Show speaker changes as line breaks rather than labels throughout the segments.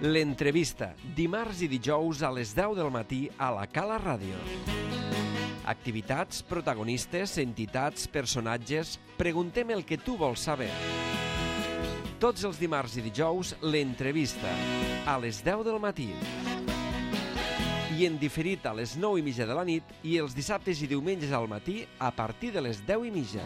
L'entrevista, dimarts i dijous a les 10 del matí a la Cala Ràdio. Activitats, protagonistes, entitats, personatges... Preguntem el que tu vols saber. Tots els dimarts i dijous, l'entrevista, a les 10 del matí. I en diferit a les 9:30 de la nit i els dissabtes i diumenges al matí a partir de les 10:30.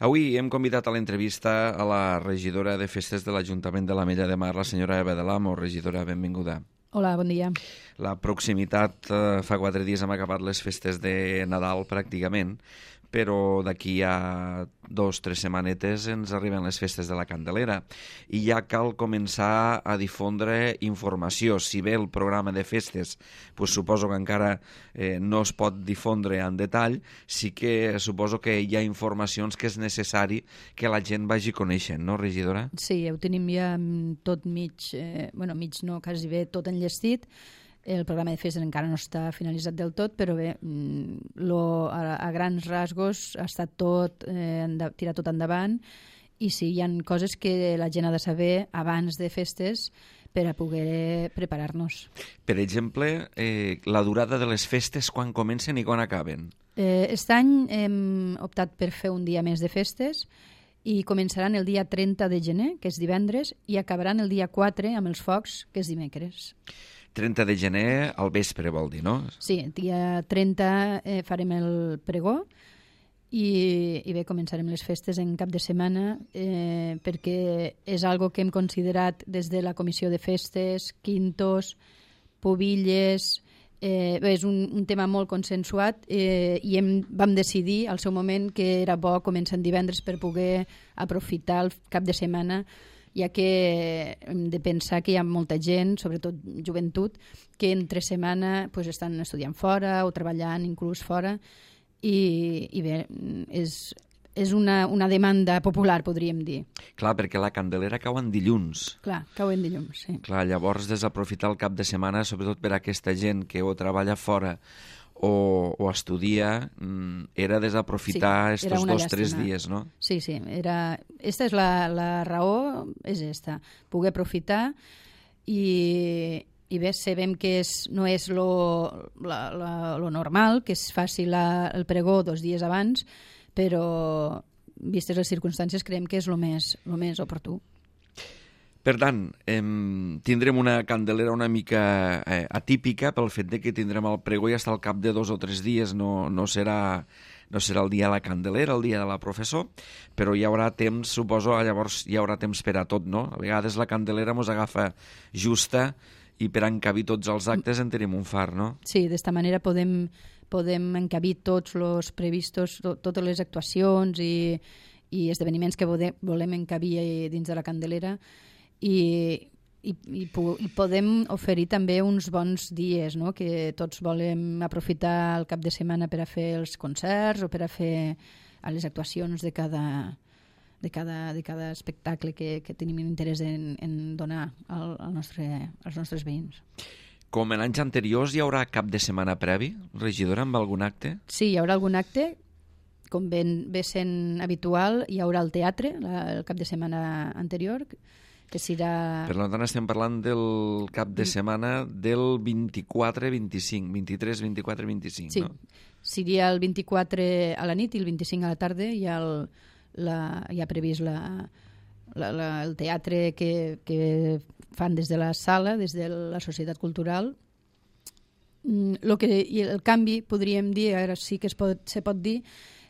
Avui hem convidat a l'entrevista a la regidora de Festes de l'Ajuntament de l'Ametlla de Mar, la senyora Eva de l'Amo. Regidora, benvinguda.
Hola, bon dia.
La proximitat, fa 4 dies hem acabat les festes de Nadal pràcticament, però d'aquí a 2-3 setmanetes ens arriben les festes de la Candelera i ja cal començar a difondre informació. Si bé el programa de festes suposo que encara no es pot difondre en detall, sí que suposo que hi ha informacions que és necessari que la gent vagi coneixent, no, regidora? Sí,
ho tenim ja tot mig no, quasi bé tot enllestit. El programa de festes encara no està finalitzat del tot, però bé, a grans rasgos ha estat tot, tirat tot endavant, i sí, hi ha coses que la gent ha de saber abans de festes per a poder preparar-nos.
Per exemple, la durada de les festes, quan comencen i quan acaben?
Aquest any hem optat per fer un dia més de festes i començaran el dia 30 de gener, que és divendres, i acabaran el dia 4 amb els focs, que és dimecres.
30 de gener al vespre, vol dir, no?
Sí, el dia 30 farem el pregó i bé, començarem les festes en cap de setmana perquè és algo que hem considerat des de la Comissió de Festes, quintos, pobilles... és un tema molt consensuat i vam decidir al seu moment que era bo començar en divendres per poder aprofitar el cap de setmana, ja que hem de pensar que hi ha molta gent, sobretot joventut, que entre setmana estan estudiant fora o treballant inclús fora i bé, és una demanda popular, podríem dir.
Clar, perquè la Candelera cau en dilluns.
Clar, cau en dilluns, sí.
Clar, llavors desaprofitar el cap de setmana, sobretot per a aquesta gent que o treballa fora o estudia, era desaprofitar estos 2-3 dies, no?
Sí, esta és la raó, és esta, poder aprofitar i bé, sabem que no és lo normal, que es faci el pregó 2 dies abans, però vistes les circumstàncies creiem que és lo més oportú.
Per tant, tindrem una Candelera una mica atípica pel fet que tindrem el pregó i hasta al cap de 2 o 3 dies no serà el dia de la Candelera, el dia de la professor, però hi haurà temps, suposo, llavors hi haurà temps per a tot, no? A vegades la Candelera mos agafa justa i per encabir tots els actes en tenim un far, no?
Sí, d'esta manera podem encabir tots els previstos, totes les actuacions i esdeveniments que volem encabir dins de la Candelera i podem oferir també uns bons dies, no? Que tots volem aprofitar el cap de setmana per a fer els concerts o per a fer les actuacions de cada espectacle que tenim interès en donar als nostres veïns.
Com en anys anteriors, hi haurà cap de setmana previ, regidora, amb algun acte?
Sí, hi haurà algun acte. Com ve sent habitual, hi haurà el teatre el cap de setmana anterior, que serà...
Per tant, estem parlant del cap de setmana del 24-25, 23-24-25,
sí,
no?
Sí, seria el 24 a la nit i el 25 a la tarda hi ha previst el teatre que fan des de la sala, des de la Societat Cultural. El canvi, podríem dir, ara sí que se pot dir,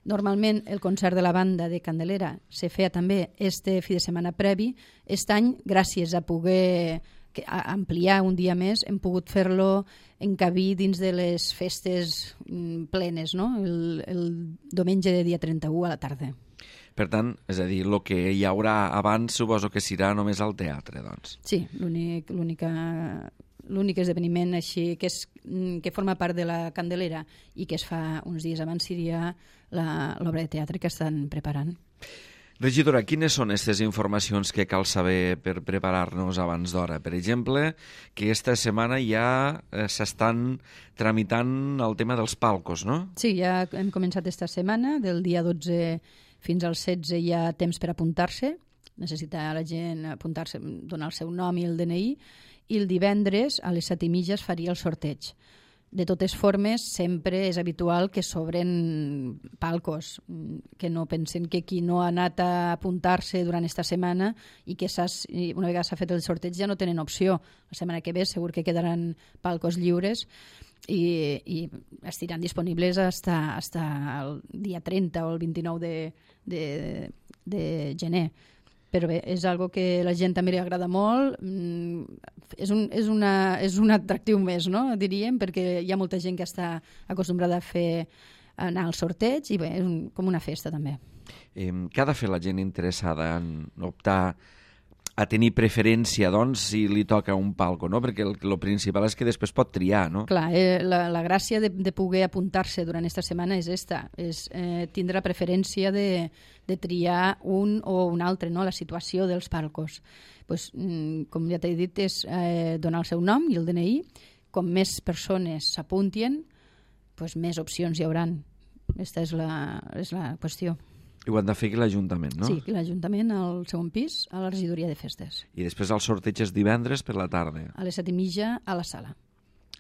normalment el concert de la banda de Candelera se feia també este fi de setmana previ. Aquest any, gràcies a poder ampliar un dia més, hem pogut fer-lo encabir dins de les festes plenes, no? El diumenge de dia 31 a la tarda.
Per tant, és a dir, el que hi haurà abans suposo que serà només al teatre, doncs.
Sí, l'únic esdeveniment així que forma part de la Candelera i que es fa uns dies abans seria l'obra de teatre que estan preparant.
Regidora, quines són aquestes informacions que cal saber per preparar-nos abans d'hora? Per exemple, que esta setmana ja s'estan tramitant el tema dels palcos, no?
Sí, ja hem començat esta setmana, del dia 12 fins al 16 hi ha temps per apuntar-se necessita la gent apuntar-se, donar el seu nom i el DNI, i el divendres a les 7:30 es faria el sorteig. De totes formes, sempre és habitual que s'obren palcos, que no pensen que qui no ha anat a apuntar-se durant esta setmana i que una vegada s'ha fet el sorteig ja no tenen opció. La setmana que ve segur que quedaran palcos lliures i estiran disponibles hasta el dia 30 o el 29 de gener. Però bé, és algo que a la gent també li agrada molt, és un atractiu més, no? Diríem, perquè hi ha molta gent que està acostumbrada a anar al sorteig i bé, és com una festa també.
Què ha de fer la gent interessada en optar a tenir preferència, doncs, si li toca un palco, no? Perquè el principal és que després pot triar, no?
Clar, la gràcia de poder apuntar-se durant aquesta setmana és tindre la preferència de triar un o un altre, no? La situació dels palcos. Pues, com ja t'he dit, és donar el seu nom i el DNI. Com més persones s'apuntien, pues més opcions hi hauran. Aquesta és la qüestió.
I ho han de fer aquí l'Ajuntament, no?
Sí, aquí l'Ajuntament, al segon pis, a la regidoria de festes.
I després el sorteig és divendres per la tarda.
A les 7:30 a la sala.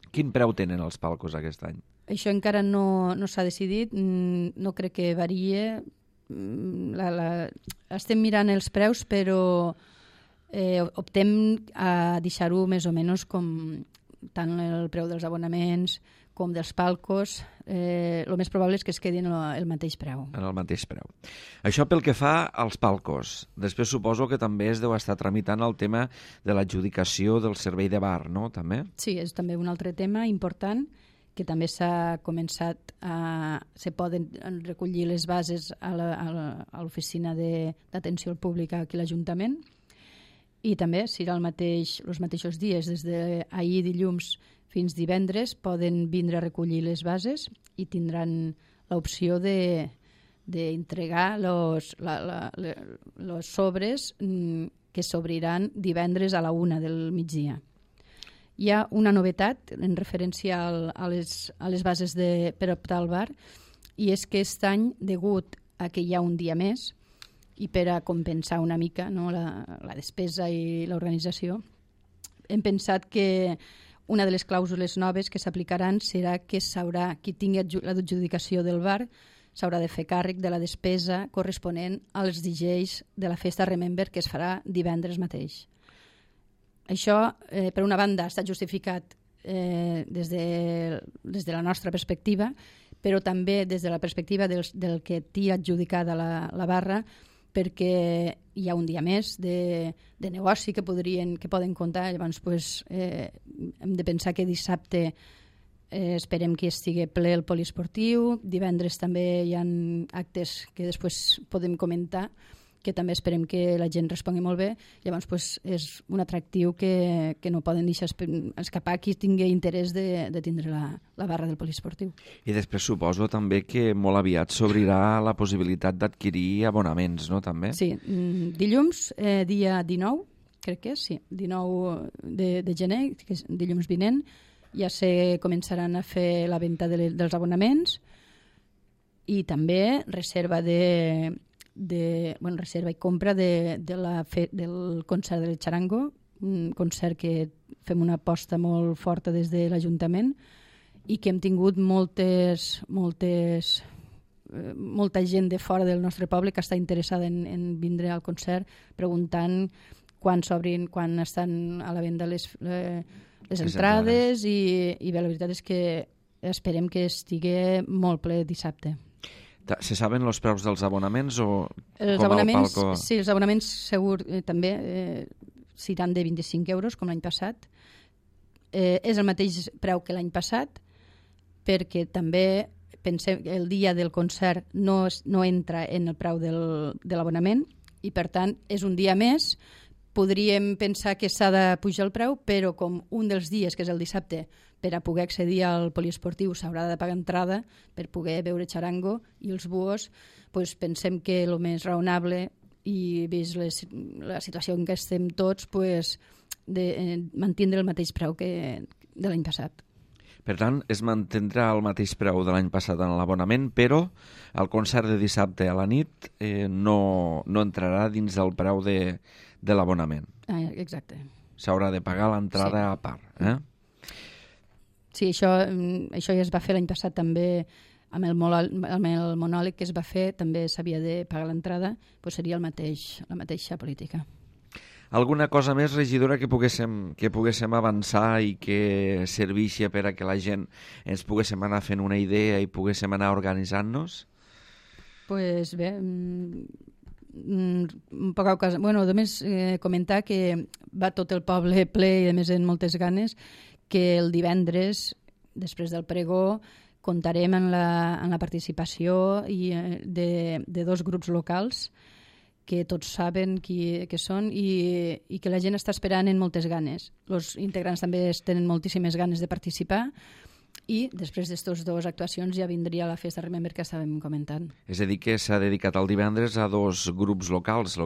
Quin preu tenen els palcos aquest any?
Això encara no s'ha decidit, no crec que varie. Estem mirant els preus, però optem a deixar-ho més o menys com tant el preu dels abonaments com dels palcos, el més probable és que es quedi en el mateix preu.
En el mateix preu. Això pel que fa als palcos. Després suposo que també es deu estar tramitant el tema de l'adjudicació del servei de bar, no? També?
Sí, és també un altre tema important que també s'ha començat se poden recollir les bases a l'oficina d'atenció al públic aquí a l'Ajuntament i també serà els mateixos dies, des d'ahir dilluns fins divendres poden vindre a recollir les bases i tindran l'opció d'entregar els sobres que s'obriran divendres a la 1 del migdia. Hi ha una novetat en referència a les bases per optar al bar i és que aquest any, degut a que hi ha un dia més i per a compensar una mica, no, la despesa i l'organització, hem pensat que una de les clàusules noves que s'aplicaran serà que qui tingui l'adjudicació del bar s'haurà de fer càrrec de la despesa corresponent als DJs de la festa Remember que es farà divendres mateix. Això, per una banda, està justificat des de la nostra perspectiva, però també des de la perspectiva del que té adjudicada la barra, perquè hi ha un dia més de negoci que poden comptar. Llavors hem de pensar que dissabte esperem que estigui ple el poliesportiu, divendres també hi ha actes que després podem comentar, que també esperem que la gent respongui molt bé. Llavors és un atractiu que no poden deixar escapar qui tingui interès de tindre la barra del poliesportiu.
I després suposo també que molt aviat s'obrirà la possibilitat d'adquirir abonaments, no, també?
Sí, dilluns, dia 19, crec que és, sí, 19 de gener, que és dilluns vinent, ja se començaran a fer la venda dels abonaments i també reserva reserva i compra del concert del Charango, un concert que fem una aposta molt forta des de l'Ajuntament i que hem tingut molta gent de fora del nostre poble que està interessada en vindre al concert preguntant quan s'obrin, quan estan a la venda les entrades i bé, la veritat és que esperem que estigui molt ple dissabte.
Se saben els preus dels abonaments o
els
com
abonaments,
el palco?
Sí, els abonaments segur també seran de 25 euros com l'any passat. És el mateix preu que l'any passat perquè també pensem que el dia del concert no entra en el preu de l'abonament i per tant és un dia més. Podríem pensar que s'ha de pujar el preu, però com un dels dies, que és el dissabte, per a poder accedir al poliesportiu s'haurà de pagar entrada per poder veure Charango i els buos, doncs pensem que el més raonable i vist la situació en què estem tots, de mantindre el mateix preu que de l'any passat.
Per tant, es mantindrà el mateix preu de l'any passat en l'abonament, però el concert de dissabte a la nit no entrarà dins el preu de l'abonament.
Exacte.
S'haurà de pagar l'entrada a part.
Sí, això ja es va fer l'any passat també amb el monòleg que es va fer, també s'havia de pagar l'entrada, doncs seria la mateixa política.
Alguna cosa més, regidora, que poguéssim avançar i que servixi per a que la gent ens poguéssim anar fent una idea i poguéssim anar organitzant-nos?
Pues bé, poca cosa. Bueno, només comentar que va tot el poble ple i a més en moltes ganes, que el divendres, després del pregó, comptarem en la participació de dos grups locals que tots saben què són i que la gent està esperant en moltes ganes. Els integrants també tenen moltíssimes ganes de participar i després d'aquestes dues actuacions ja vindria la festa Remember que estàvem comentant.
És a dir, que s'ha dedicat el divendres a dos grups locals,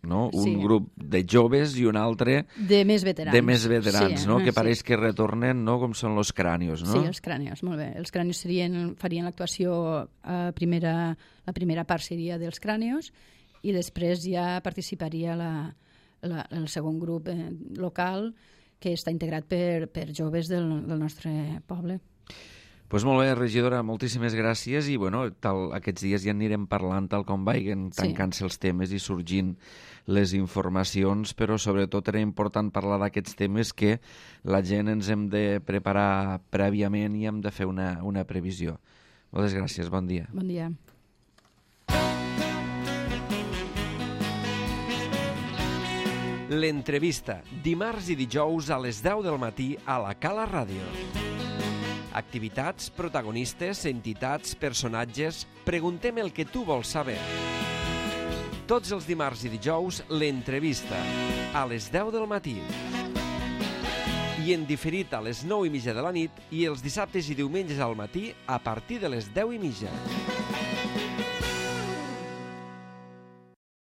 no? Un
Sí.
grup de joves i un altre
De més veterans.
Sí, no? Que pareix que retornen, no? Com són los crànios, no?
Sí, els crànios, molt bé. Els crànios farien l'actuació, la primera part seria dels crànios i després ja participaria el segon grup local que està integrat per joves del nostre poble.
Pues molt bé, regidora, moltíssimes gràcies i bueno, aquests dies ja anirem parlant tal com vagin tancant-se els temes i sorgint les informacions, però sobretot era important parlar d'aquests temes que la gent ens hem de preparar prèviament i hem de fer una previsió. Moltes gràcies, bon dia.
Bon dia.
L'entrevista, dimarts i dijous a les 10 del matí a la Cala Ràdio. Activitats, protagonistes, entitats, personatges... Preguntem el que tu vols saber. Tots els dimarts i dijous, l'entrevista, a les 10 del matí. I en diferit a les 9:30 de la nit i els dissabtes i diumenges al matí a partir de les 10:30.